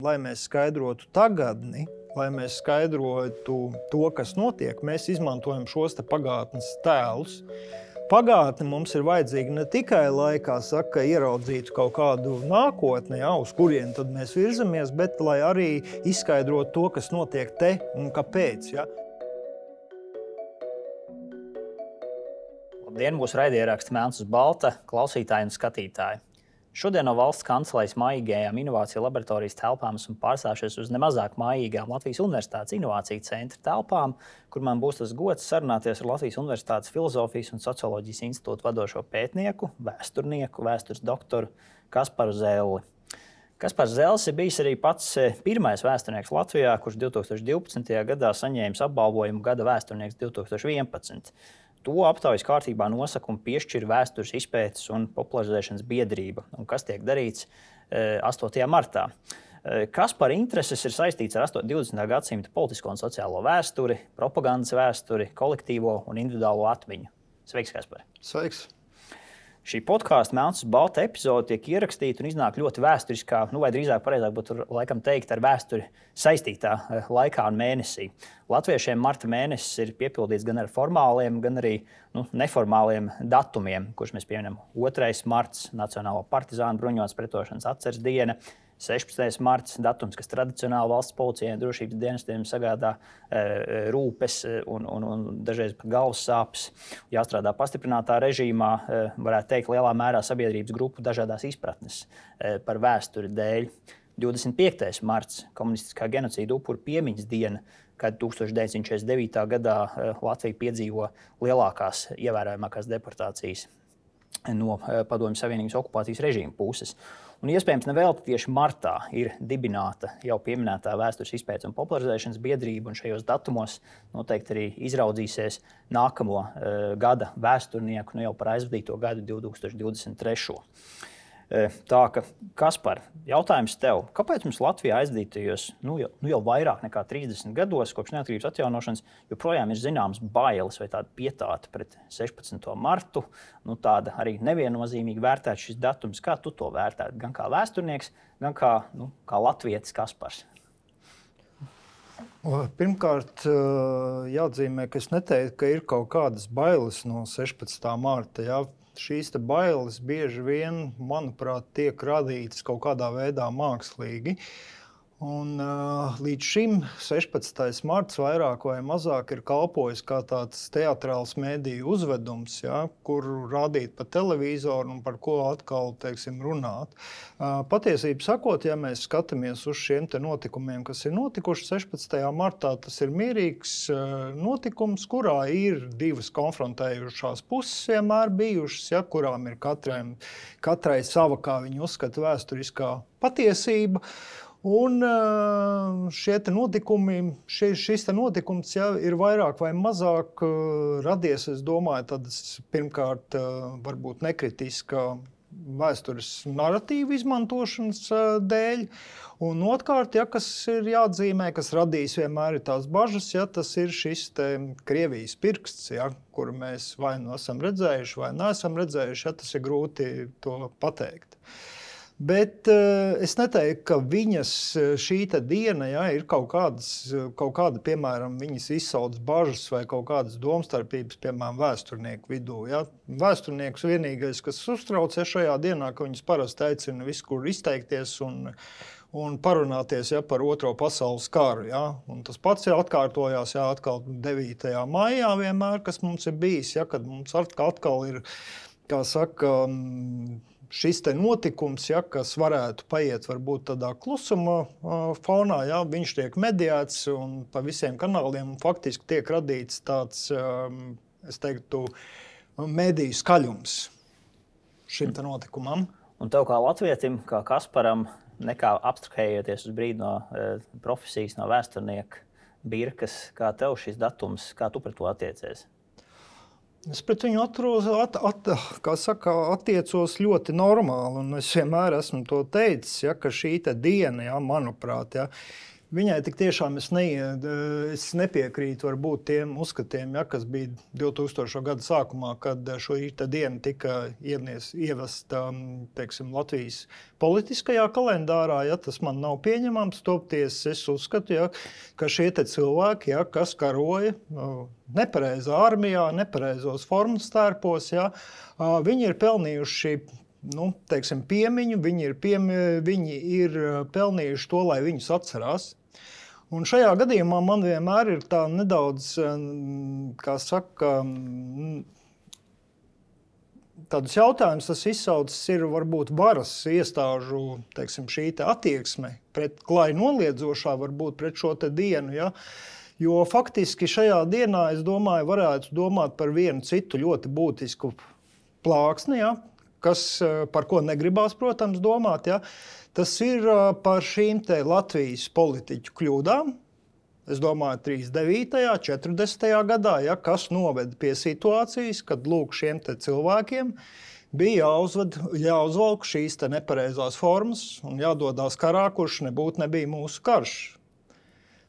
Lai mēs skaidrotu tagadni, lai mēs skaidrotu to, kas notiek, mēs izmantojam šos pagātnes tēlus. Pagātne mums ir vajadzīga ne tikai, lai, kā saka, ieraudzītu kaut kādu nākotni, uz kurien tad mēs virzamies, bet lai arī izskaidrotu to, kas notiek te un kāpēc. Ja. Labdien, mūsu raidieraksts Melns uz balta, klausītāji un skatītāji. Šodien no valsts kancelejas mājīgajām inovāciju laboratorijas telpām esmu pārstājušies uz nemazāk mājīgām Latvijas Universitātes inovāciju centra telpām, kur man būs tas gods sarunāties ar Latvijas Universitātes Filozofijas un socioloģijas institūta vadošo pētnieku, vēsturnieku, vēstures doktoru Kasparu Zelli. Kaspars Zellis ir bijis arī pats pirmais vēsturnieks Latvijā, kurš 2012. gadā saņēmis apbalvojumu Gada vēsturnieks 2011. To aptaujas kārtībā nosaka un piešķir Vēstures izpētes un popularizēšanas biedrība, un kas tiek darīts 8. martā. Kaspara intereses ir saistīts ar 20. gadsimta politisko un sociālo vēsturi, propagandas vēsturi, kolektīvo un individuālo atmiņu. Sveiks, Kaspar! Sveiks! Šī podkāsta Melns uz balta epizode tiek ierakstīta un iznāk ļoti vēsturiskā, vai drīzāk pareizāk būtu laikam teikt ar vēsturi saistītā laikā un mēnesī. Latviešiem marta mēnesis ir piepildīts gan ar formāliem, gan arī neformāliem datumiem, kurus mēs pieminam 2. marts, Nacionālo partizānu bruņotas pretošanas atceres diena, 16. marts, datums, kas tradicionāli valsts policijai un drošības dienestiem sagādā rūpes un dažreiz pat galvas sāpes. Jāstrādā pastiprinātā režīmā, varētu teikt, lielā mērā sabiedrības grupu dažādās izpratnes par vēsturi dēļ. 25. marts, komunistiskā genocīda upuru piemiņas diena, kad 1949. gadā Latvija piedzīvo lielākās, ievērojamākās deportācijas no Padomju Savienības okupācijas režīma puses. Un iespējams nevēlti tieši martā ir dibināta jau pieminētā Vēstures izpētes un popularizēšanas biedrība, un šajos datumos noteikti arī izraudzīsies nākamo gada vēsturnieku, jau par aizvadīto gadu 2023. Tā ka, Kaspar, jautājums tev, kāpēc mums Latvijā aizdītajos jau vairāk nekā 30 gados kopš neatkarības atjaunošanas joprojām ir zināms bailes vai tāda pietāta pret 16. martu, tāda arī neviennozīmīgi vērtēt šis datums? Kā tu to vērtētu? Gan kā vēsturnieks, gan kā latvietis Kaspars? Pirmkārt, jāatzīmē, ka es neteiktu, ka ir kaut kādas bailes no 16. marta. Ja? Šīs bailes bieži vien, manuprāt, tiek radītas kaut kādā veidā mākslīgi. Un, līdz šim 16. marts vairāk vai mazāk ir kalpojis kā tāds teatrāls mediju uzvedums, ja, kur rādīt pa televizoru un par ko atkal, runāt. Patiesību sakot, ja mēs skatāmies uz šiem notikumiem, kas ir notikuši 16. martā, tas ir mierīgs notikums, kurā ir divas konfrontējušās puses vienmēr bijušas, ja, kurām ir katrai sava, kā viņi uzskata, vēsturiskā patiesība. Un šis notikums ir vairāk vai mazāk radies, es domāju, tādas pirmkārt varbūt nekritiska vēstures narratīva izmantošanas dēļ. Un otrkārt, kas ir jāatzīmē, kas radīs vienmēr ir tās bažas, tas ir šis Krievijas pirksts, kuru mēs vai nu esam redzējuši, vai neesam redzējuši, tas ir grūti to pateikt. Bet es neteiktu, ka viņas šī diena ir kaut kāda, piemēram, viņas izsauc bažas vai kaut kādas domstarpības, piemēram, vēsturnieku vidū. Ja? Vēsturnieks vienīgais, kas uztrauc šajā dienā, ka viņus parasti aicina viskur izteikties un parunāties par Otro pasaules karu. Ja? Un tas pats atkārtojās atkal 9. maijā vienmēr, kas mums ir bijis, kad mums atkal ir, kā saka, šis notikums, kas varētu paiet varbūt tādā klusuma fonā, viņš tiek mediēts un pa visiem kanāliem faktiski tiek radīts tāds, es teiktu, mediju skaļums šim notikumam. Un tev kā latvietim, kā Kasparam, nekā abstrahējoties uz brīdi no profesijas, no vēsturnieka birkas, kā tev šis datums, kā tu pret to attiecies? Es pret viņu attiecos ļoti normāli, un es vienmēr esmu to teicis, ka šī diena, manuprāt, Viņai tik tiešām es nepiekrītu varbūt tiem uzskatiem, kas bija 2000. Gada sākumā, kad šo dienu tika ievesta Latvijas politiskajā kalendārā. Tas man nav pieņemams. Toties es uzskatu, ka šie cilvēki, kas karoja nepareizā armijā, nepareizos formas tērpos, viņi ir pelnījuši piemiņu, viņi ir pelnījuši to, lai viņus atcerās. Un šajā gadījumā man vienmēr ir tā nedaudz, tādus jautājumus tas izsaucis ir varbūt varas iestāžu, šī attieksme pret klāju noliedzošā varbūt pret šo dienu, jo faktiski šajā dienā, es domāju, varētu domāt par vienu citu ļoti būtisku plāksni, par ko negribās, protams, domāt, tas ir par šīm Latvijas politiķu kļūdām. Es domāju, 39. 40. gadā, kas noveda pie situācijas, kad lūk šiem cilvēkiem bija jāuzvalk šīs nepareizās formas un jādodās karā, kurš nebija mūsu karš.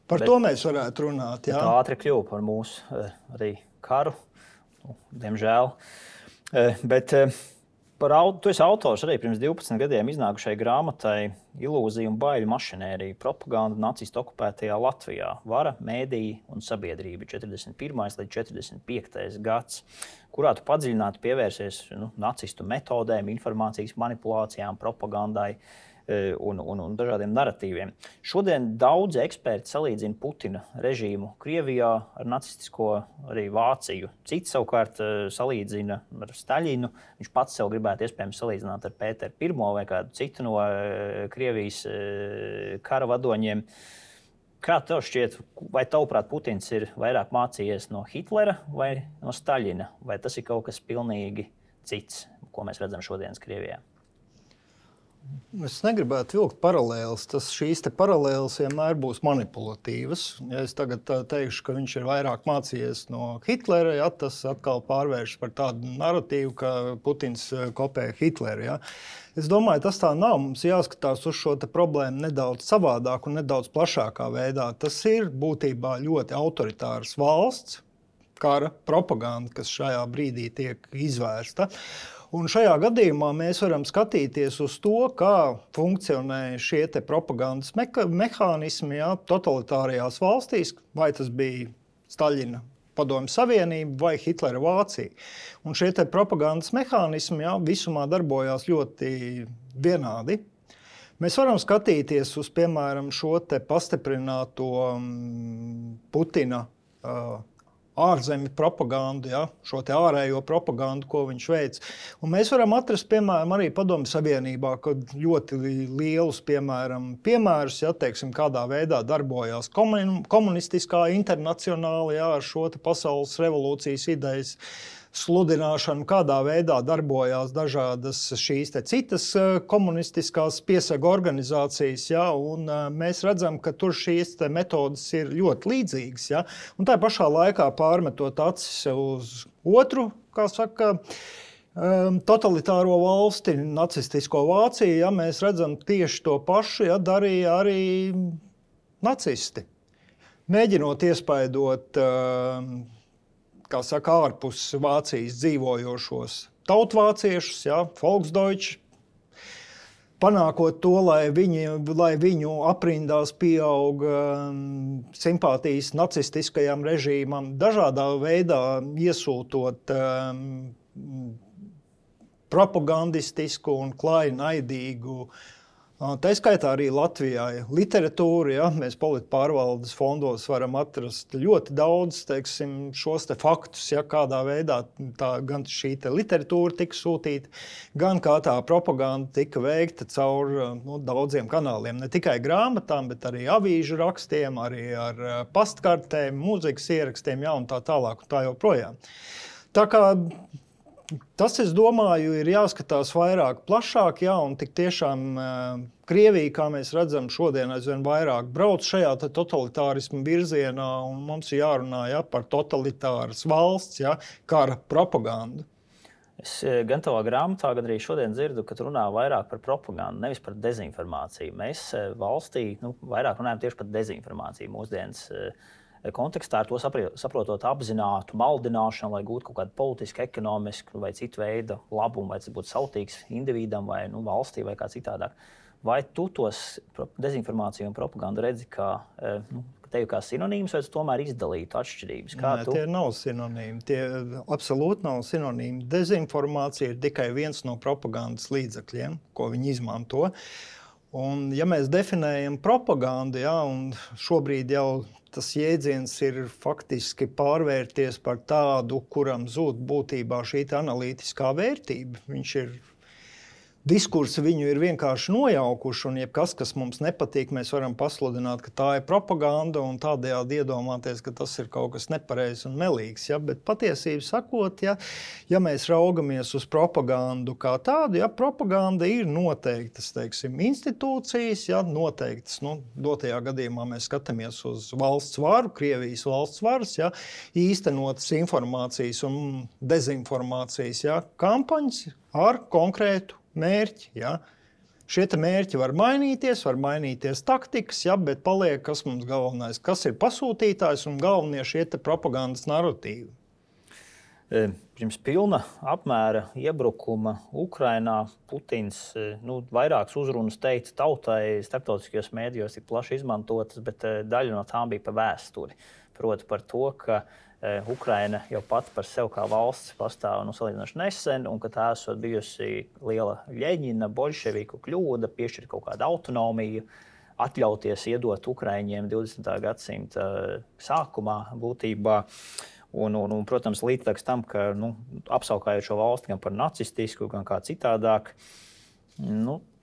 Par to mēs varētu runāt. Tā ātri kļuva par mūsu arī karu, diemžēl. Bet tu esi autors arī pirms 12 gadiem iznākušai grāmatai Ilūzija un baiļu mašinērija, propaganda nacistu okupētajā Latvijā, vara, mēdīji un sabiedrība 41. līdz 45. gads, kurā tu padziļināti pievērsies nacistu metodēm, informācijas manipulācijām, propagandai un dažādiem naratīviem. Šodien daudzi eksperti salīdzina Putina režīmu Krievijā ar nacistisko arī Vāciju. Cits savukārt salīdzina ar Staļinu. Viņš pats sev gribētu iespējams salīdzināt ar Pēteru I vai kādu citu no Krievijas kara vadoņiem. Kā tev šķiet, vai tavuprāt Putins ir vairāk mācījies no Hitlera vai no Staļina? Vai tas ir kaut kas pilnīgi cits, ko mēs redzam šodienas Krievijā? Es negribētu vilkt paralēles. Šīs paralēles vienmēr būs manipulatīvas. Ja es tagad teikšu, ka viņš ir vairāk mācījies no Hitlera, tas atkal pārvēršas par tādu naratīvu, ka Putins kopē Hitleru. Es domāju, tas tā nav. Mums jāskatās uz šo problēmu nedaudz savādāk un nedaudz plašākā veidā. Tas ir būtībā ļoti autoritārs valsts, kara propaganda, kas šajā brīdī tiek izvērsta. Un šajā gadījumā mēs varam skatīties uz to, kā funkcionē šie propagandas mehānismi totalitārajās valstīs, vai tas bija Staļina Padomju Savienība vai Hitlera Vācija. Un šie propagandas mehānismi visumā darbojās ļoti vienādi. Mēs varam skatīties uz, piemēram, šo pastiprināto Putina ārzemju propagandu, šo ārējo propagandu, ko viņš veic. Un mēs varam atrast, piemēram, arī Padomju Savienībā, kad ļoti lielus, piemērus, kādā veidā darbojās komunistiskā internacionāli, ar šo pasaules revolūcijas idejas sludināšanu, kādā veidā darbojās dažādas šīs citas komunistiskās piesaga organizācijas, un mēs redzam, ka tur šīs metodas ir ļoti līdzīgas, un tā pašā laikā pārmetot acis uz otru, totalitāro valsti, nacistisko Vāciju, mēs redzam tieši to pašu, darīja arī nacisti. Mēģinot iespaidot ārpus Vācijas dzīvojošos tautvāciešus, Volksdeutsch, panākot to, lai viņu aprindās pieaug simpātijas nacistiskajam režīmam, dažādā veidā iesūtot propagandistisku un klāju naidīgu, tā skaitā arī Latvijā literatūra, mēs politpārvaldes fondos varam atrast ļoti daudz, šos faktus, kādā veidā gan šī literatūra tika sūtīta, gan kā tā propaganda tika veikta caur daudziem kanāliem, ne tikai grāmatām, bet arī avīžu rakstiem, arī ar pastkartēm, mūzikas ierakstiem, un tā tālāk un tā joprojām. Tā kā tas, es domāju, ir jāskatās vairāk plašāk, un tik tiešām Krievija, kā mēs redzam, šodien aizvien vairāk brauc šajā totalitārismu virzienā, un mums ir jārunā par totalitāras valsts, kara propagandu. Es gan tavā grāmatā, gan arī šodien dzirdu, ka tu runā vairāk par propagandu, nevis par dezinformāciju. Mēs valstī vairāk runājam tieši par dezinformāciju mūsdienas kontekstā, ar to saprotot apzinātu maldināšanu, lai gūtu kaut kādu politisku, ekonomisku vai citu veidu labumu, vai tas būtu sautīgs individam vai valstī vai kā citādāk. Vai tu tos dezinformāciju un propagandu redzi kā tevi kā sinonīmus, vai tu tomēr izdalītu atšķirības? Tie nav sinonīmi. Tie absolūti nav sinonīmi. Dezinformācija ir tikai viens no propagandas līdzekļiem, ko viņi izmanto. Un, ja mēs definējam propagandu, un šobrīd jau tas jēdziens ir faktiski pārvērties par tādu, kuram zūd būtībā šī analītiskā vērtība. Viņš ir diskursi viņu ir vienkārši nojaukuši, un jebkas, kas mums nepatīk, mēs varam pasludināt, ka tā ir propaganda, un tādējādi iedomāties, ka tas ir kaut kas nepareizs un melīgs. Bet patiesību sakot, ja mēs raugamies uz propagandu kā tādu, propaganda ir noteiktas, institūcijas, noteiktas, dotajā gadījumā mēs skatāmies uz valsts varu, Krievijas valsts varas, īstenotas informācijas un dezinformācijas kampaņas ar konkrētu mērķi. Šie mērķi var mainīties taktikas, bet paliek, kas mums galvenais, kas ir pasūtītājs un galvenie šie propagandas narratīvi. Pirms pilna apmēra iebrukuma Ukrainā Putins vairākas uzrunas teica tautai, starptautiskajos mēdījos ir plaši izmantotas, bet daļa no tām bija par vēsturi. Proti par to, ka Ukraina jau pati par sevi kā valsts pastāv salīdzinoši nesen, un ka tā esot bijusi liela Ļeņina, bolševiku kļūda, piešķirt kaut kādu autonomiju, atļauties iedot Ukraiņiem 20. gadsimta sākumā būtībā. Un, protams, līdz tam, ka apsaukājot šo valsti gan par nacistisku, gan kā citādāk,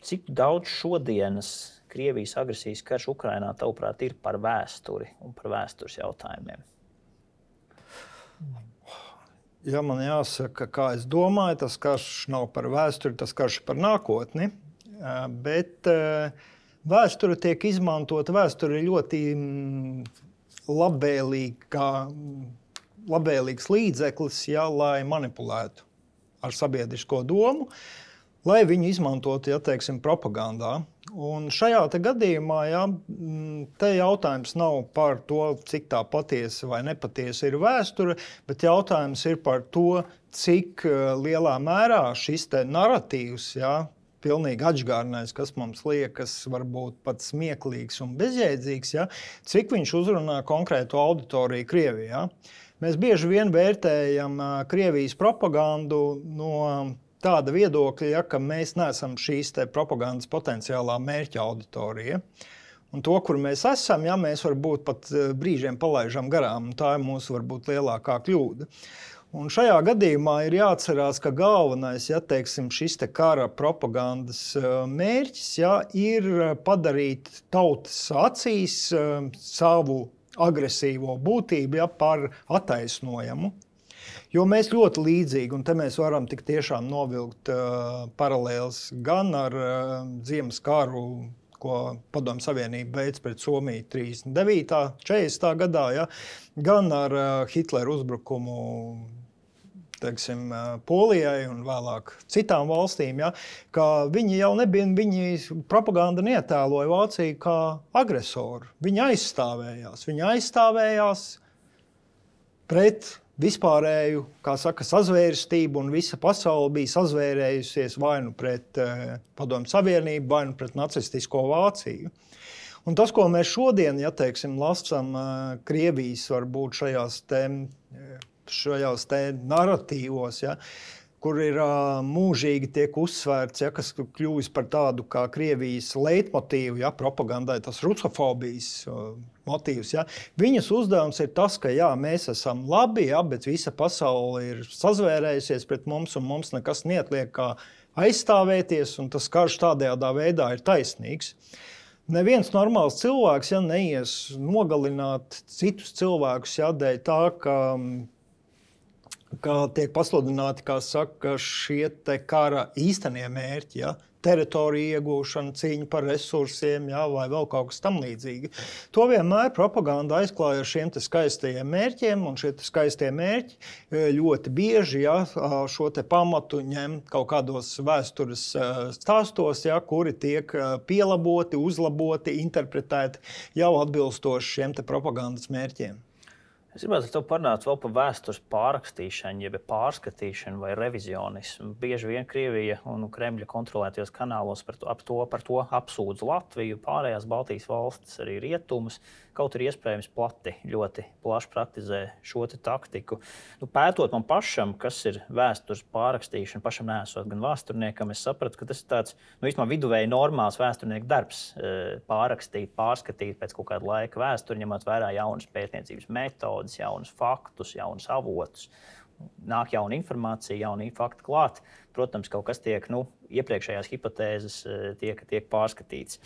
cik daudz šodienas Krievijas agresijas karš Ukrainā, tavuprāt, ir par vēsturi un par vēstures jautājumiem? Ja man jāsaka, kā es domāju, tas karš nav par vēsturi, tas karš ir par nākotni. Bet vēsture tiek izmantota, vēsture ir ļoti labvēlīgs līdzeklis, lai manipulētu ar sabiedrisko domu, lai viņu izmantotu, propagandā. Un šajā gadījumā te jautājums nav par to, cik tā patiesa vai nepatiesa ir vēsture, bet jautājums ir par to, cik lielā mērā šis narratīvs, pilnīgi atžgārnais, kas mums liekas varbūt pat smieklīgs un bezjēdzīgs, cik viņš uzrunā konkrētu auditoriju Krievijā. Mēs bieži vien vērtējam Krievijas propagandu no tāda viedokļa, ka mēs neesam šīs propagandas potenciālā mērķa auditorija. Un to, kur mēs esam, mēs varbūt pat brīžiem palaižam garām. Tā ir mūsu varbūt lielākā kļūda. Un šajā gadījumā ir jāatcerās, ka galvenais, šis kara propagandas mērķis, ir padarīt tautas acīs savu agresīvo būtību par attaisnojamu. Jo mēs ļoti līdzīgi, un te mēs varam tik tiešām novilkt paralēles gan ar Ziemas karu, ko Padomju Savienība veids pret Somiju 39. 40. gadā, gan ar Hitlera uzbrukumu Polijai un vēlāk citām valstīm, ka viņi jau nebija, viņi propaganda neatēloja Vāciju kā agresoru. Viņi aizstāvējās pret vispārēju, kā saka, sazvērstību, un visa pasaule bija sazvērējusies vai nu pret Padomju Savienību, vai nu pret nacistisko Vāciju. Un tas, ko mēs šodien, lasām Krievijas varbūt šajās narratīvos, kur ir mūžīgi tiek uzsvērts, kas kļūst par tādu kā Krievijas leitmotīvu, propagandai, tas rusofobijas motīvs. Viņas uzdevums ir tas, ka mēs esam labi, bet visa pasaule ir sazvērējusies pret mums, un mums nekas neatliek kā aizstāvēties, un tas karš tādējādā veidā ir taisnīgs. Neviens normāls cilvēks neies nogalināt citus cilvēkus dēļ tā, ka tiek pasludināti, kā saka, šie kara īstenie mērķi, teritoriju iegūšana, cīņa par resursiem, jā, vai vēl kaut kas tam līdzīgi. To vienmēr propaganda aizklāja ar šiem te skaistajiem mērķiem, un šie te skaistie mērķi ļoti bieži šo te pamatu ņem kaut kādos vēstures stāstos, kuri tiek pielaboti, uzlaboti, interpretēti jau atbilstoši šiem te propagandas mērķiem. Es gribētu ar tevi parunāt vēl par vēstures pārrakstīšanu, jeb pārskatīšanu vai revizionismu. Bieži vien Krievija un Kremļa kontrolētajos kanālos par to apsūdz Latviju, pārējās Baltijas valstis, arī rietumus. Kaut arī iespējams ļoti plaši praktizē šo taktiku. Pētot man pašam, kas ir vēstures pārrakstīšana, pašam neesot gan vēsturniekam, es sapratu, ka tas ir tāds viduvēji normāls vēsturnieku darbs. Pārrakstīt, pārskatīt pēc kaut kāda laika vēsturi, ņemot vērā jaunas pētniecības metodes, jaunus faktus, jaunus avotus. Nāk jauna informācija, jauni fakti klāt. Protams, kaut kas tiek, iepriekšējās hipotēzes tiek pārskatīts.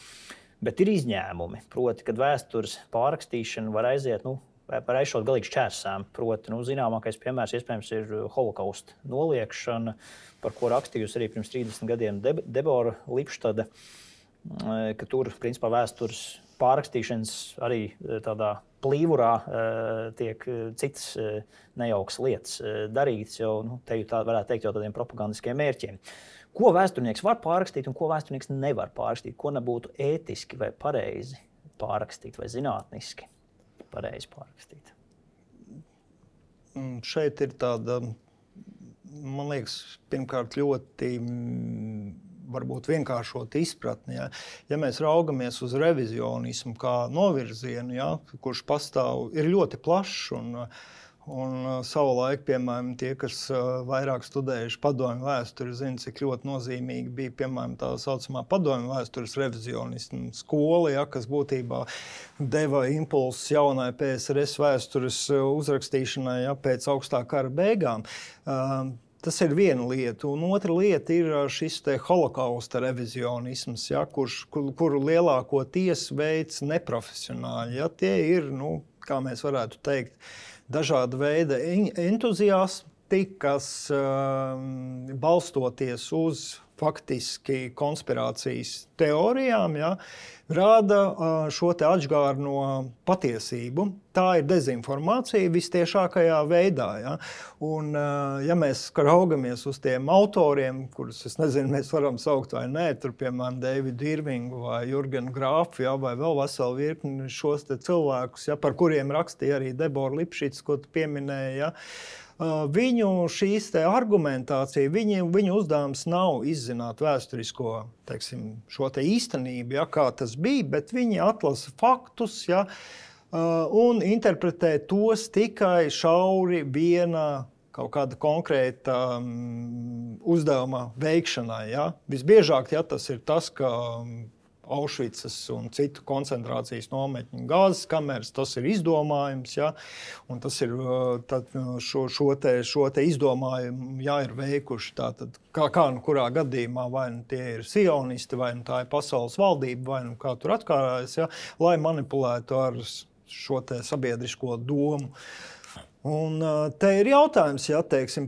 Bet ir izņēmumi, proti, kad vēstures pārrakstīšana var aiziet, var aizšot galīgi šķērsām. Proti, zināmākais piemērs iespējams ir holokausta noliekšana, par ko rakstījusi arī pirms 30 gadiem Debora Lipštada, ka tur, principā, vēstures pārrakstīšanas arī tādā plīvurā tiek citas nejaukas lietas darītas, jau te tā varētu teikt jau tādiem propagandiskiem mērķiem. Ko vēsturnieks var pārrakstīt un ko vēsturnieks nevar pārrakstīt? Ko nebūtu ētiski vai pareizi pārrakstīt vai zinātniski pareizi pārrakstīt? Šeit ir tāda, man liekas, pirmkārt ļoti varbūt vienkāršota izpratne. Ja mēs raugamies uz revizionismu kā novirzienu, kurš pastāv, ir ļoti plašs un savulaik, piemēram, tie, kas vairāk studējuši padomju vēsturi, zina, cik ļoti nozīmīgi bija, piemēram, tā saucamā padomju vēstures revizionismu skola, kas būtībā deva impulsus jaunai PSRS vēstures uzrakstīšanai pēc augstā kara beigām. Tas ir viena lieta, un otra lieta ir šis te holokausta revizionisms, kuru lielākoties veids neprofesionāļi. Tie ir, kā mēs varētu teikt, dažāda veida entuziasti, kas balstoties uz faktiski konspirācijas teorijām, rāda šo te atžgārno patiesību. Tā ir dezinformācija vistiešākajā veidā. Un, ja mēs raugamies uz tiem autoriem, kurus, es nezinu, mēs varam saukt vai nē, tur, piemēram, Davidu Irvingu vai Jurgenu Grāfu, vai vēl veselu virkni šos te cilvēkus, par kuriem rakstīja arī Debora Lipšits, ko tu pieminēji, viņu šīs te argumentācija, viņu uzdevums nav izzināt vēsturisko, šo te īstenību, kā tas bija, bet viņi atlasa faktus, un interpretē tos tikai šauri viena kaut kāda konkrēta uzdevuma veikšanai. Visbiežāk tas ir tas, ka Aušvicas un citu koncentrācijas nometņu gāzes kameras, tas ir izdomājums, un tas ir šo te izdomājumu ir veikuši. Tātad, kā kurā gadījumā, vai tie ir sionisti, vai tā ir pasaules valdība, vai kā tur atkārājas, lai manipulētu ar šo te sabiedrisko domu. Un te ir jautājums,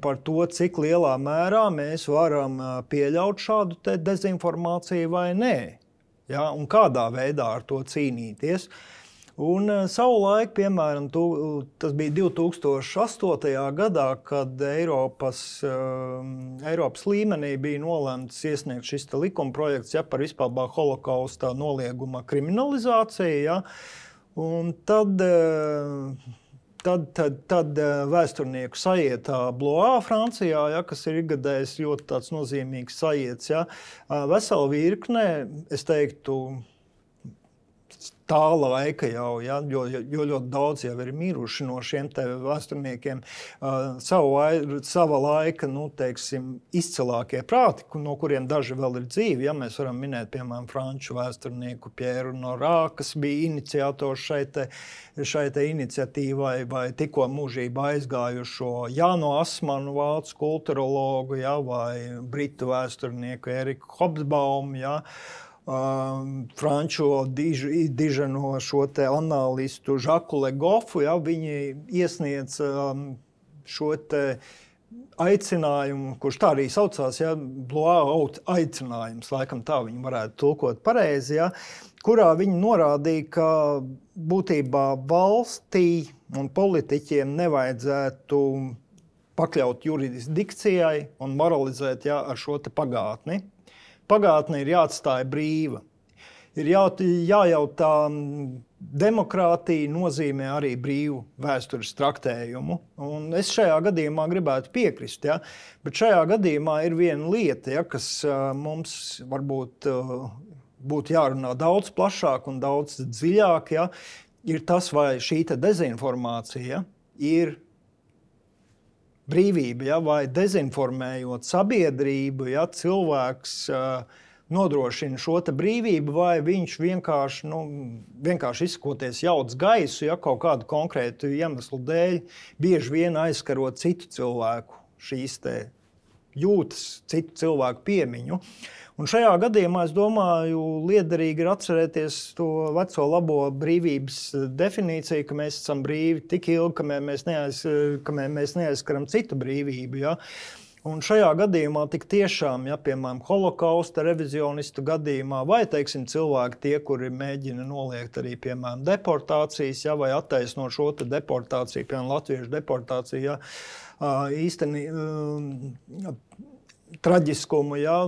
par to, cik lielā mērā mēs varam pieļaut šādu te dezinformāciju vai nē. Un kādā veidā ar to cīnīties. Un savulaik, piemēram, tas bija 2008. Gadā, kad Eiropas līmenī bija nolemts iesniegt šis likumprojekts par vispār holokausta nolieguma kriminalizāciju. Un tad vēsturnieku sajietā Blois, Francijā, kas ir ikgadējs ļoti tāds nozīmīgs sajiets, vesela virkne, es teiktu, tā laika jau, jo ļoti daudz jau ir miruši no šiem te vēsturniekiem, sava laika, izcilākie prāti, no kuriem daži vēl ir dzīvi. Mēs varam minēt, piemēram, franču vēsturnieku Pieru Nora, kas bija iniciators šai te iniciatīvai, vai tikko mūžībā aizgājušo Jānu Asmanu, vācu kulturologu, vai britu vēsturnieku Eriku Hobsbaumu, franču diženo šo te analistu Žaku Legofu, viņi iesniedz šo te aicinājumu, kurš tā arī saucās, ja, blowout aicinājums, laikam tā viņi varētu tulkot pareizi, ja, kurā viņi norādīja, ka būtībā valstī un politiķiem nevajadzētu pakļaut jurisdikcijai un moralizēt ar šo te pagātni. Pagātne ir jāatstāja brīva. Ir jājautā, demokrātija nozīmē arī brīvu vēstures traktējumu. Un es šajā gadījumā gribētu piekrist, ja? Bet šajā gadījumā ir viena lieta, ja, kas mums varbūt būtu jārunā daudz plašāk un daudz dziļāk, ja? Ir tas, vai šī dezinformācija ir brīvība, ja? Vai dezinformējot sabiedrību, ja, cilvēks nodrošina šo brīvību, vai viņš vienkārši izsakoties jauc gaisu, ja kaut kādu konkrētu iemeslu dēļ, bieži vien aizkarot citu cilvēku šīs jūtas, citu cilvēku piemiņu. Un šajā gadījumā, es domāju, liederīgi ir atcerēties to veco labo brīvības definīciju, ka mēs esam brīvi tik ilgi, kamēr mēs neaizskaram citu brīvību. Ja? Un šajā gadījumā tik tiešām, ja, piemēram, holokausta revizionistu gadījumā, vai, teiksim, cilvēki tie, kuri mēģina noliegt arī, piemēram, deportācijas, ja, vai attaisnot šo deportāciju, piemēram, latviešu deportāciju, ja, traģiskumu, ja,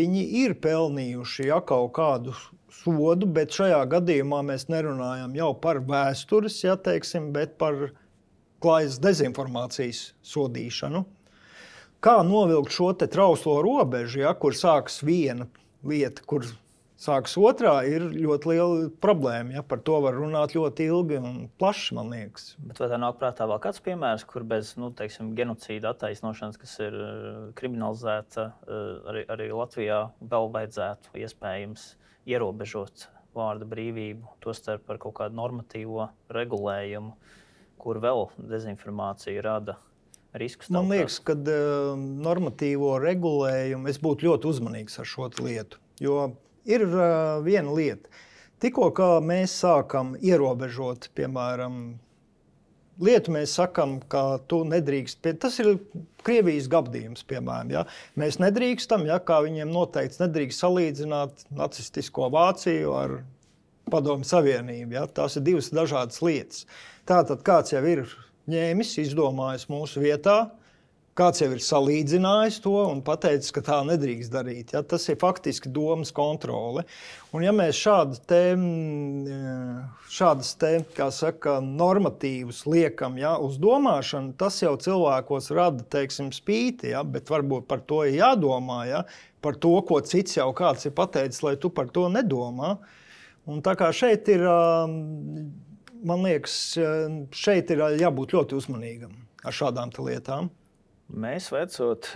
viņi ir pelnījuši, ja, kaut kādu sodu, bet šajā gadījumā mēs nerunājam jau par vēstures, ja, teiksim, bet par klājas dezinformācijas sodīšanu. Kā novilkt šo trauslo robežu, ja, kur sākas viena lieta, kur sākas otrā, ir ļoti liela problēma. Ja. Par to var runāt ļoti ilgi un plaši, man liekas. Bet vai tā nāk prātā vēl kāds piemērs, kur bez genocīda attaisnošanas, kas ir kriminalizēta, arī Latvijā vēl vajadzētu iespējams ierobežot vārda brīvību, tostarp par kaut kādu normatīvo regulējumu, kur vēl dezinformācija rada riskus? Man liekas, ka normatīvo regulējumu es būtu ļoti uzmanīgs ar šo lietu. Jo ir viena lieta. Tikko kā mēs sākam ierobežot, piemēram, lietu, mēs sakam, ka tu nedrīkst. Tas ir Krievijas gabdījums, piemēram. Ja? Mēs nedrīkstam, ja, kā viņiem noteikts, nedrīkst salīdzināt nacistisko Vāciju ar Padomju Savienību. Ja? Tās ir divas dažādas lietas. Tātad kāds jau ir ņēmis, izdomājis mūsu vietā, kāds jau ir salīdzinājis to un pateicis, ka tā nedrīkst darīt. Ja? Tas ir faktiski domas kontrole. Un ja mēs šādas kā saka, normatīvus liekam, ja, uz domāšanu, tas jau cilvēkos rada, teiksim, spīti, ja? Bet varbūt par to ir jādomā, ja? Par to, ko cits jau kāds ir pateicis, lai tu par to nedomā. Un tā kā šeit ir... Man liekas, šeit ir jābūt ļoti uzmanīgam ar šādām lietām. Mēs veicot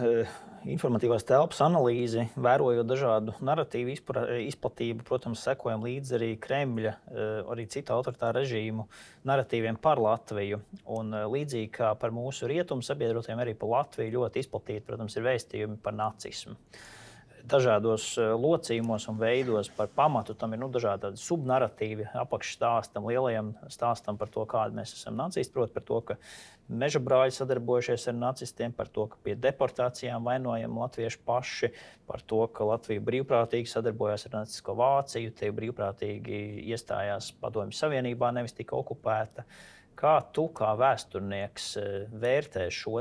informatīvās telpas analīzi, vērojot dažādu naratīvu izplatību, protams, sekojam līdzi arī Kremļa, arī citu autoritāru režīmu naratīviem par Latviju. Un līdzīgi kā par mūsu rietumu sabiedrotiem, arī par Latviju ļoti izplatīti, protams, ir vēstījumi par nacismu. Dažādos locījumos un veidos par pamatu tam ir dažādi subnaratīvi apakšstāstam, lielajam stāstam par to, kādi mēs esam nacisti, proti par to, ka meža brāļi sadarbojušies ar nacistiem, par to, ka pie deportācijām vainojam latvieši paši, par to, ka Latvija brīvprātīgi sadarbojās ar nacistisko Vāciju, tie brīvprātīgi iestājās Padomju Savienībā, nevis tika okupēta. Kā tu, kā vēsturnieks, vērtē šo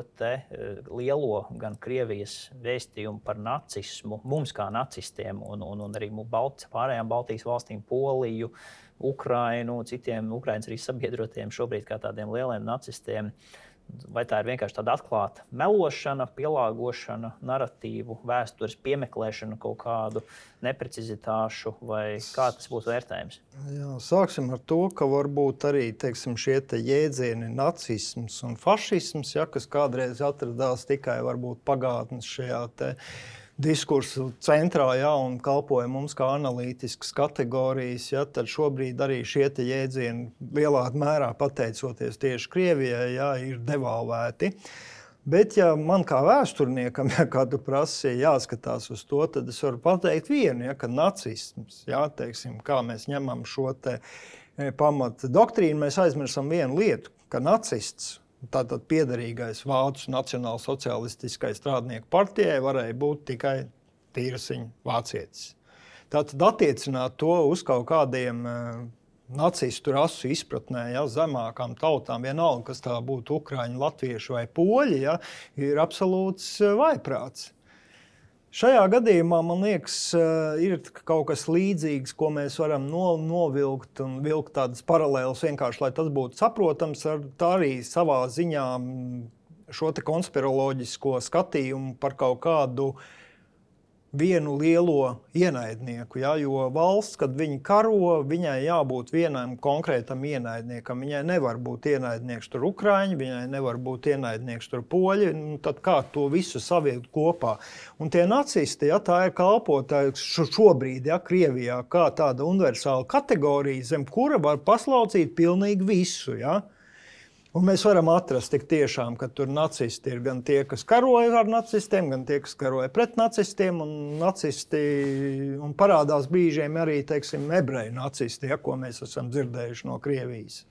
lielo gan Krievijas vēstījumu par nacismu, mums kā nacistiem un arī pārējām Baltijas valstīm, Poliju, Ukrainu, citiem Ukrainas arī sabiedrotiem šobrīd kā tādiem lieliem nacistiem? Vai tā ir vienkārši tāda atklāta melošana, pielāgošana, naratīvu, vēstures piemeklēšana, kaut kādu neprecizitāšu, vai kā tas būtu vērtējums? Jā, sāksim ar to, ka varbūt arī, teiksim, šie jēdzieni nacisms un fašisms, ja, kas kādreiz atradās tikai varbūt pagātnes šajā diskursu centrā, ja, un kalpoja mums kā analītiskas kategorijas, ja, tad šobrīd arī šie jēdzieni lielā mērā pateicoties tieši Krievijai, ja, ir devalvēti. Bet ja man kā vēsturniekam, ja, kā tu prasi, jāskatās uz to, tad es varu pateikt vienu, ja, ka nacisms, ja, teiksim, kā mēs ņemam šo pamata doktrīnu, mēs aizmirstam vienu lietu, ka nacists tātad piederīgais Vācu nacionālsocialistiskai strādnieku partijai varēja būt tikai tīrasiņa vācietis. Tātad attiecināt to uz kaut kādiem nacistu rasu izpratnē, ja, zemākām tautām, vienalga, kas tā būtu ukraiņi, latvieši vai poļi, ja, ir absolūts vājprāts. Šajā gadījumā, man liekas, ir kaut kas līdzīgs, ko mēs varam novilkt un vilkt tādas paralēlas vienkārši, lai tas būtu saprotams, tā arī savā ziņā šo te konspiroloģisko skatījumu par kaut kādu vienu lielo ienaidnieku, ja, jo valsts, kad viņi karo, viņai jābūt vienam konkrētam ienaidniekam. Viņai nevar būt ienaidnieks tur ukraiņi, viņai nevar būt ienaidnieks tur poļi, tad kā to visu saviet kopā. Un tie nacisti, ja, tā ir kalpotāji šobrīd, ja, Krievijā, kā tāda universāla kategorija, zem kura var paslaucīt pilnīgi visu, ja. Un mēs varam atrast tik tiešām, ka tur nacisti ir gan tie, kas karoja ar nacistiem, gan tie, kas karoja pret nacistiem, un nacisti, un parādās brīžiem arī, teiksim, ebreju nacisti, ja, ko mēs esam dzirdējuši no Krievijas.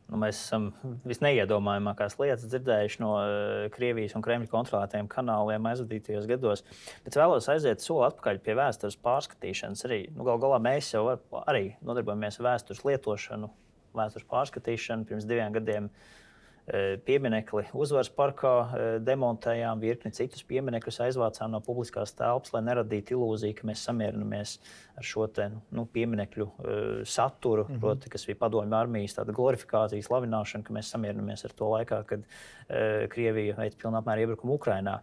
Mēs esam visneiedomājamākās lietas dzirdējuši no Krievijas un Kremļa kontrolētajiem kanāliem aizvadītajos gados. Bet vēlos aiziet soli atpakaļ pie vēstures pārskatīšanas. Arī, gal galā mēs jau arī nodarbojamies ar vēstures lietošanu, vēstures pārskatīšanu. Pirms 2 gadiem pieminekli Uzvaras parkā demontējām, virkni citus pieminekļus aizvācām no publiskās telpas, lai neradītu ilūziju, ka mēs samierinamies ar šo te, pieminekļu saturu, proti, kas bija padomju armijas tāda glorifikācija, slavināšana, ka mēs samierinamies ar to laikā, kad Krievija veica pilnā apmēra iebrukumu Ukrainā.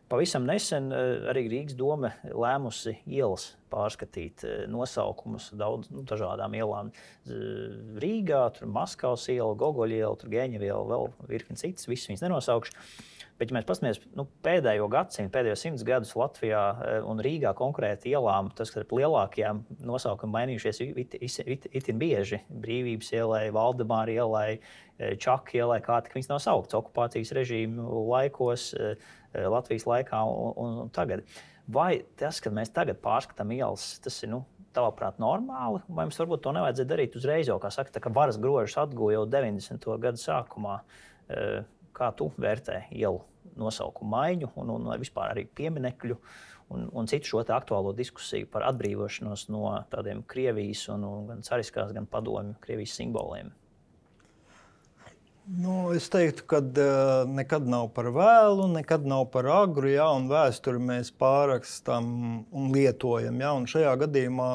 Pavisam nesen arī Rīgas doma lēmusi ielas pārskatīt nosaukumus dažādām ielām. Rīgā, tur Maskavas iela, Gogoļa iela, tur Geņeva iela, vēl virkni citas, visas viņas nenosaukšu. Bet, ja mēs paskatāmies pēdējo gadsimtu, pēdējos 100 gadus Latvijā un Rīgā konkrēti ielām, tas, ka lielākajām nosaukumi mainījušies itin bieži. Brīvības ielai, Valdemāra ielai, Čaka ielai, kā tik viņas nav sauktas okupācijas režīmu laikos, Latvijas laikā un tagad. Vai tas, ka mēs tagad pārskatām ielas, tas ir, tavuprāt, normāli? Vai mums varbūt to nevajadzētu darīt uzreiz, jau, kā saka, tā, ka varas grožus atguva jau 90. gadu sākumā? Kā tu vērtē ielu nosaukumu maiņu un vispār arī pieminekļu un citu šo aktuālo diskusiju par atbrīvošanos no tādiem Krievijas un gan cariskās, gan padomju Krievijas simboliem? Es teiktu, ka nekad nav par vēlu, nekad nav par agru, ja, un vēsturi mēs pārrakstam un lietojam. Ja, un šajā gadījumā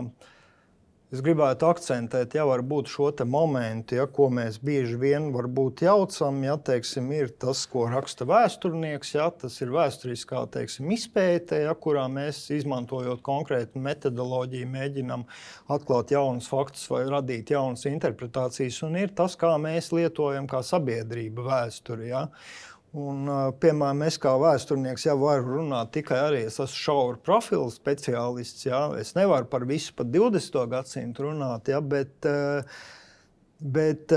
es gribētu akcentēt, ja varbūt šo te momentu, ja, ko mēs bieži vien varbūt jaucam, ja, teiksim, ir tas, ko raksta vēsturnieks, ja, tas ir vēsturiskā, teiksim, izpēte, ja, kurā mēs, izmantojot konkrētu metodoloģiju, mēģinam atklāt jaunus faktus vai radīt jaunas interpretācijas, un ir tas, kā mēs lietojam kā sabiedrība vēsturi, ja. Un, piemēram, es kā vēsturnieks jau varu runāt tikai arī, es esmu šaura profila speciālists, ja? Es nevaru par visu pat 20. gadsimtu runāt, ja? Bet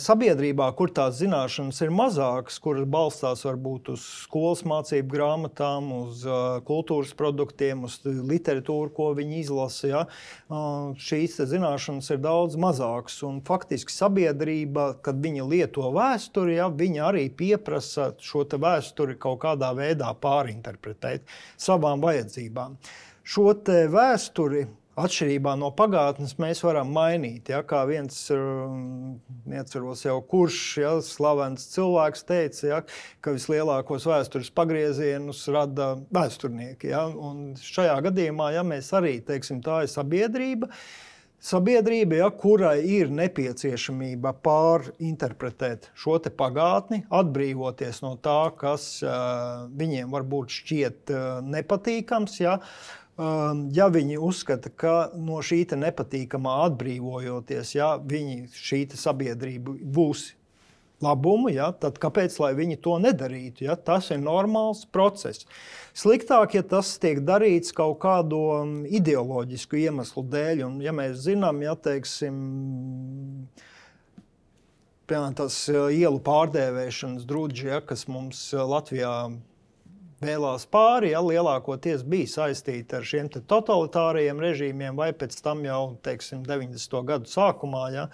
sabiedrībā, kur tās zināšanas ir mazākas, kuras balstās varbūt uz skolas mācību grāmatām, uz kultūras produktiem, uz literatūru, ko viņi izlasa, ja? Šīs zināšanas ir daudz mazākas. Un faktiski sabiedrība, kad viņa lieto vēsturi, ja, viņa arī pieprasa šo te vēsturi kaut kādā veidā pārinterpretēt savām vajadzībām. Šo te vēsturi atšķirībā no pagātnes mēs varam mainīt. Ja, kā viens, neatceros jau kurš, ja, slavens cilvēks teica, ja, ka vislielākos vēstures pagriezienus rada vēsturnieki. Ja, un šajā gadījumā, ja mēs arī, teiksim, tā ir sabiedrība, ja, kurai ir nepieciešamība pārinterpretēt šo te pagātni, atbrīvoties no tā, kas viņiem varbūt šķiet nepatīkams, ja, ja viņi uzskata, ka no šī nepatīkamā atbrīvojoties, ja šī sabiedrība būs labumu, ja, tad kāpēc lai viņi to nedarītu? Ja? Tas ir normāls process. Sliktāk, ja tas tiek darīts kaut kādu ideoloģisku iemeslu dēļ, un ja mēs zinām, ja, teiksim, piemēram, tas ielu pārdēvēšanas drudži, ja, kas mums Latvijā vēlās pāri, ja, lielākoties bija saistīti ar šiem totalitārajiem režīmiem vai pēc tam jau, teiksim, 90. gadu sākumā, ja,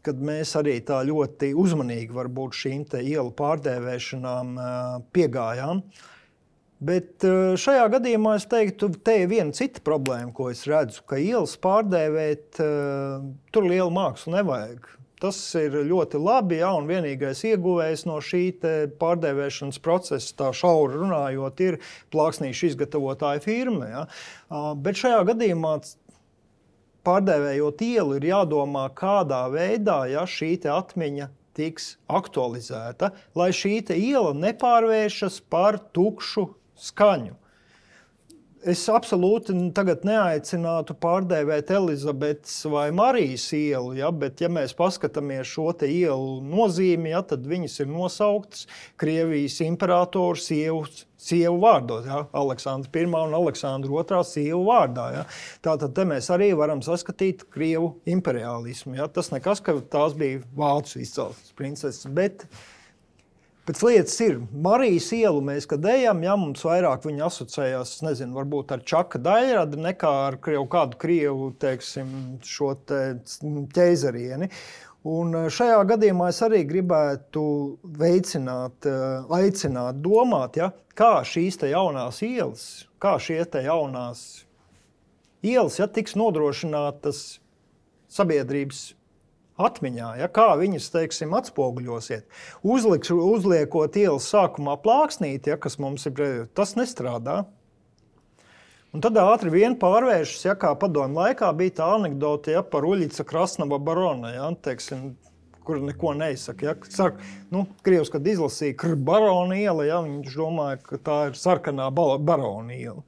kad mēs arī tā ļoti uzmanīgi varbūt šīm te ielu pārdēvēšanām piegājām. Bet šajā gadījumā es teiktu, te ir viena cita problēma, ko es redzu, ka ielas pārdēvēt, tur lielu mākslu nevajag. Tas ir ļoti labi, ja, un vienīgais ieguvējs no šī pārdēvēšanas procesa, tā šauri runājot, ir plāksnīšu izgatavotāja firma. Ja. Bet šajā gadījumā pārdēvējot ielu ir jādomā, kādā veidā šī atmiņa tiks aktualizēta, lai šī iela nepārvēršas par tukšu skaņu. Es absolūti tagad neaicinātu pārdēvēt Elizabetes vai Marijas ielu, ja, bet ja mēs paskatāmies šo ielu nozīmi, ja, tad viņas ir nosauktas Krievijas imperatoru sievu vārdos, ja, Aleksandra I un Aleksandra II sievu vārdā. Ja. Tātad te mēs arī varam saskatīt Krievu imperialismu. Ja. Tas nekas, ka tās bija vācu izcelsmes princeses, bet pēc lietas ir, Marijas ielu mēs, kad ejam, ja mums vairāk viņa asociējās, nezinu, varbūt ar Čaka Daļradi, nekā ar kādu Krievu, teiksim, šo ķeizarieni. Un šajā gadījumā es arī gribētu aicināt domāt, ja, kā šīs jaunās ielas, kā šie jaunās ielas, ja, tiks nodrošinātas sabiedrības atmiņā, ja, kā viņas, teiksim, atspoguļosiet. Uzliekot ielas sākumā plāksnīti, ja, kas mums ir, tas nestrādā. Un tad ātri vien pārvēršas, ja, kā padomju laikā bija tā anekdote, ja, par Uļica Krasnava barona, ja, teiksim, kur neko neizsaka. Ja. Saka, Krievs, kad izlasīja barona iela, ja, viņš domāja, ka tā ir sarkanā barona iela.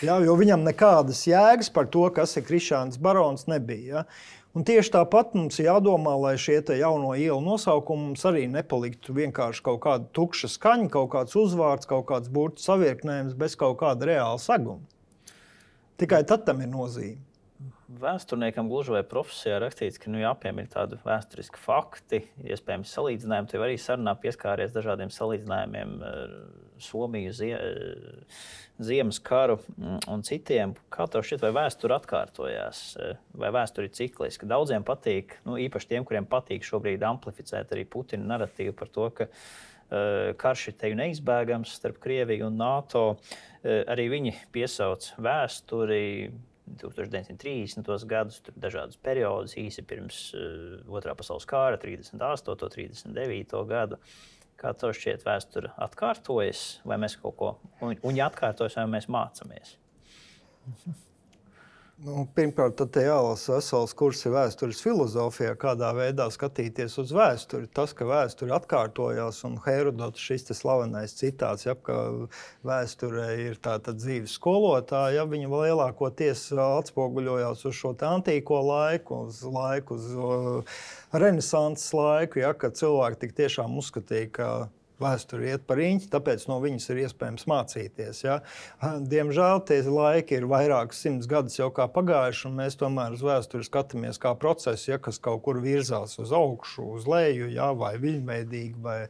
Ja, jo viņam nekādas jēgas par to, kas ir Krišāns barons, nebija. Ja. Un tieši tāpat mums jādomā, lai šie jauno ielu nosaukumi mums arī nepaliktu vienkārši kaut kāda tukša skaņa, kaut kāds uzvārds, kaut kāds burtu savieknējums bez kaut kāda reāla seguma. Tikai tad tam ir nozīme. Vēsturniekam gluži vai profesijā rakstīts, ka jāpiemina tādi vēsturiski fakti, iespējams salīdzinājumi. Tev arī sarunā pieskāries dažādiem salīdzinājumiem Somiju, Ziemas karu un citiem. Kā tev šķiet, vai vēsture atkārtojās, vai vēsture ir cikliska? Daudziem patīk, īpaši tiem, kuriem patīk šobrīd amplificēt arī Putina narratīvu par to, ka karš ir teju neizbēgams starp Krieviju un NATO. Arī viņi piesauc vēsturi 1930. gadus, tur dažādus periodus, īsi pirms Otrā pasaules kara, 38. 39. gadu. Kā tev šķiet, vēsture atkārtojas, vai mēs kaut ko, un ja atkārtojas, vai mēs mācamies? Pirmkārt, tad jālasa vesels kurs vēstures filozofijā, kādā veidā skatīties uz vēsturi. Tas, ka vēsture atkārtojās, un Herodots šis slavenais citāts, ja, ka vēsture ir tāda dzīves skolotāja, ja, viņa lielākoties atspoguļojās uz šo antīko laiku, uz renesanses laiku, ja, kad cilvēki tik tiešām uzskatīja, ka vēsture iet par riņķi, tāpēc no viņas ir iespējams mācīties. Ja. Diemžēl tie laiki ir vairākas 100 gadus jau kā pagājuši, un mēs tomēr uz vēsturi skatāmies kā procesu, ja, kas kaut kur virzās uz augšu, uz leju, ja, vai viļņveidīgi, vai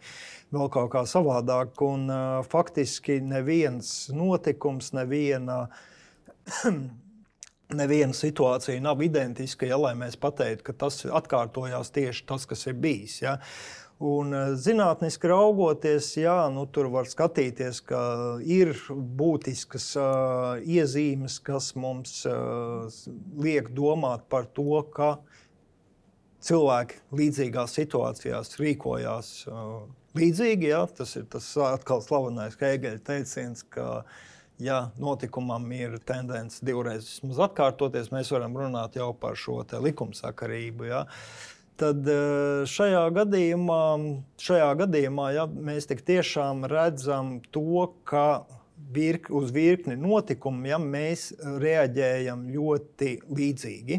vēl kaut kā savādāk. Un faktiski neviens notikums, neviena situācija nav identiska, ja, lai mēs pateiktu, ka tas atkārtojās tieši tas, kas ir bijis. Ja. Un zinātniski raugoties, jā, tur var skatīties, ka ir būtiskas iezīmes, kas mums liek domāt par to, ka cilvēki līdzīgās situācijās rīkojās līdzīgi. Jā. Tas ir tas atkal slavenais Hēgeļa teiciens, ka ja notikumam ir tendence divreiz vismaz atkārtoties, mēs varam runāt jau par šo likumsakarību. Jā. Tad šajā gadījumā ja, mēs tik tiešām redzam to, ka uz virkni notikumu ja, mēs reaģējam ļoti līdzīgi.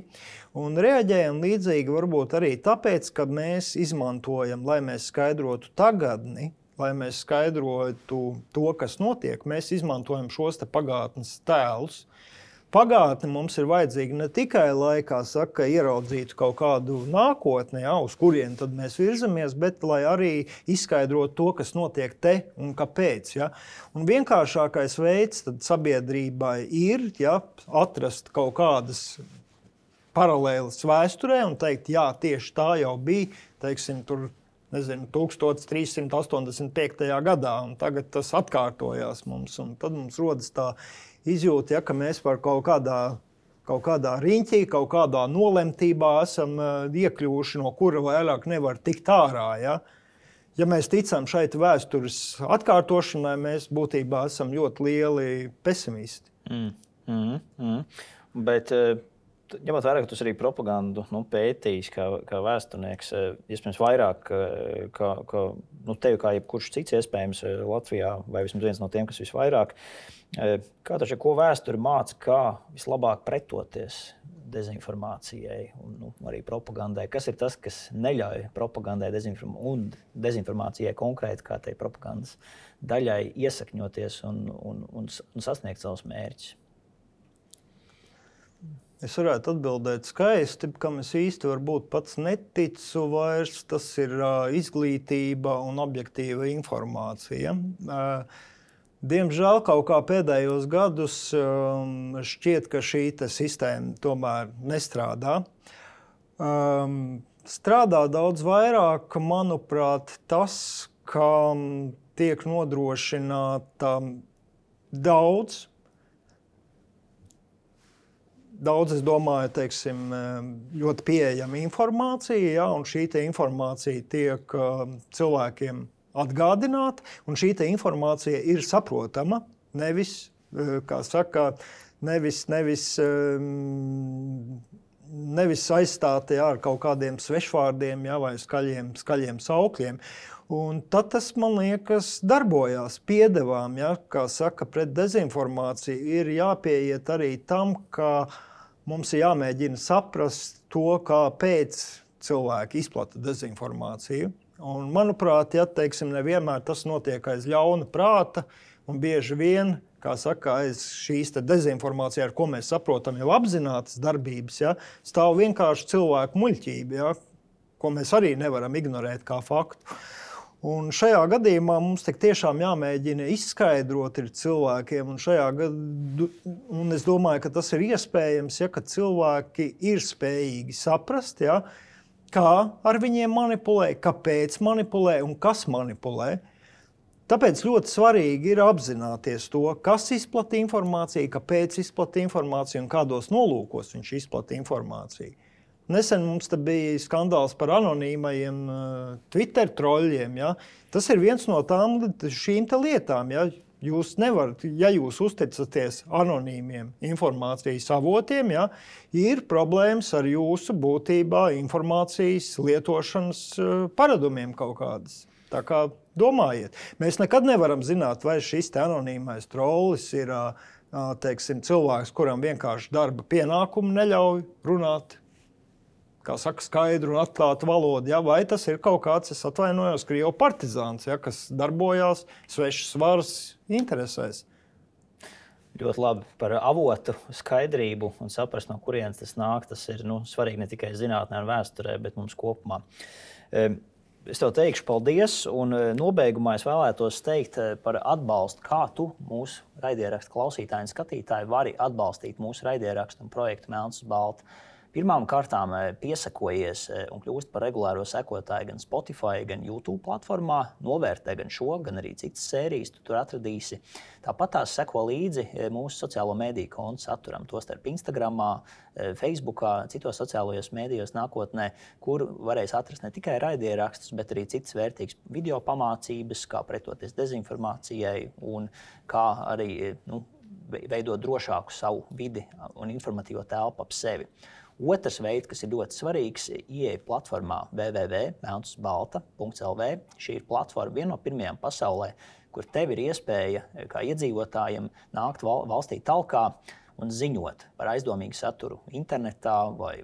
Un reaģējam līdzīgi varbūt arī tāpēc, ka mēs izmantojam, lai mēs skaidrotu tagadni, lai mēs skaidrotu to, kas notiek, mēs izmantojam šos pagātnes tēlus. Pagātne mums ir vajadzīga ne tikai laikā, saka, ieraudzītu kaut kādu nākotni, ja, uz kurien tad mēs virzamies, bet lai arī izskaidrotu to, kas notiek te un kāpēc. Ja. Un vienkāršākais veids tad sabiedrībai ir ja, atrast kaut kādas paralēlas vēsturē un teikt, jā, tieši tā jau bija, teiksim, tur, nezinu, 1385. gadā, un tagad tas atkārtojās mums, un tad mums rodas tā izjūta, ja, ka mēs par kaut kādā riņķī, kaut kādā nolemtībā esam iekļuvuši, no kura vairāk nevar tikt ārā, ja. Ja mēs ticam šeit vēstures atkārtošanai, mēs būtībā esam ļoti lieli pesimisti. Bet, ņemot vērā, ka tu arī propagandu pētījis kā vēsturnieks, iespējams vairāk, tevi kā jebkurš cits iespējams Latvijā, vai vismaz viens no tiem, kas visvairāk, kā taču, ko vēsture māca, kā vislabāk pretoties dezinformācijai un arī propagandai? Kas ir tas, kas neļauj propagandai un dezinformācijai konkrēti kā tai propagandas daļai iesakņoties un sasniegt savus mērķus? Es varētu atbildēt skaisti, kam es īsti varbūt pats neticu vairs. Tas ir izglītība un objektīva informācija. Diemžēl kaut kā pēdējos gadus šķiet, ka šī sistēma tomēr nestrādā. Strādā daudz vairāk, manuprāt, tas, ka tiek nodrošināta daudz, es domāju, teiksim, ļoti pieejama informācija, ja, un šī informācija tiek cilvēkiem atgādināt, un šī informācija ir saprotama, nevis, kā saka, nevis aizstāta ar kaut kādiem svešvārdiem, ja, vai skaļiem saukļiem. Un tad tas, man liekas, darbojās piedevām, ja, kā saka, pret dezinformāciju ir jāpieiet arī tam, ka mums ir jāmēģina saprast to, kāpēc cilvēki izplata dezinformāciju. Un, manuprāt, ja, teiksim, nevienmēr tas notiek aiz ļauna prāta, un bieži vien, kā saka, aiz šīs dezinformācija, ar ko mēs saprotam jau apzinātas darbības, ja, stāv vienkārši cilvēku muļķība, ja, ko mēs arī nevaram ignorēt kā faktu. Un šajā gadījumā mums tik tiešām jāmēģina izskaidrot cilvēkiem, un es domāju, ka tas ir iespējams, ja, ka cilvēki ir spējīgi saprast, ja, kā ar viņiem manipulē, kāpēc manipulē un kas manipulē. Tāpēc ļoti svarīgi ir apzināties to, kas izplata informāciju, kāpēc izplata informāciju un kādos nolūkos viņš izplata informāciju. Nesen mums te bija skandāls par anonīmajiem Twitter troļļiem. Ja? Tas ir viens no šīm lietām. Ja? Jūs nevarat, ja jūs uzticaties anonīmiem informācijas avotiem, ja? Ir problēmas ar jūsu būtībā informācijas lietošanas paradumiem kaut kādas. Tā kā domājiet. Mēs nekad nevaram zināt, vai šis anonīmais trollis ir teiksim, cilvēks, kuram vienkārši darba pienākumu neļauj runāt, kā saka, skaidru un atklātu valodu, ja? Vai tas ir kaut kāds, es atvainojos, Krievu partizāns, ja? Kas darbojās svešas varas interesēs. Ļoti labi par avotu skaidrību un saprast, no kurienes tas nāk. Tas ir svarīgi ne tikai zinātnē un vēsturē, bet mums kopumā. Es tev teikšu paldies, un nobeigumā es vēlētos teikt par atbalstu, kā tu mūsu raidierakstu klausītāji un skatītāji vari atbalstīt mūsu raidierakstu un projektu Melns uz balta. Pirmām kārtām piesakojies un kļūst par regulāro sekotāju gan Spotify, gan YouTube platformā. Novērtē gan šo, gan arī citas sērijas, tu tur atradīsi. Tāpat tās seko līdzi mūsu sociālo mediju kontu saturam, tostarp Instagramā, Facebookā, citos sociālajos medijos nākotnē, kur varēs atrast ne tikai raidierakstus, bet arī citas vērtīgas video pamācības, kā pretoties dezinformācijai un kā arī veidot drošāku savu vidi un informatīvo telpu ap sevi. Otrs veids, kas ir ļoti svarīgs, ieeja platformā www.melnsbalta.lv. Šī ir platforma viena no pirmajām pasaulē, kur tev ir iespēja kā iedzīvotājiem nākt valstī talkā un ziņot par aizdomīgu saturu internetā vai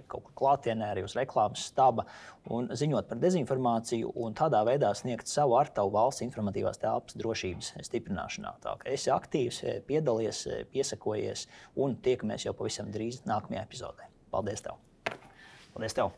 kaut kur klātienē, arī uz reklāmas staba, un ziņot par dezinformāciju un tādā veidā sniegt savu artavu valsts informatīvās telpas drošības stiprināšanā. Tā kā esi aktīvs, piedalies, piesakojies un tiekamies jau pavisam drīz nākamajā epizodē. Paldies tev! Paldies tev!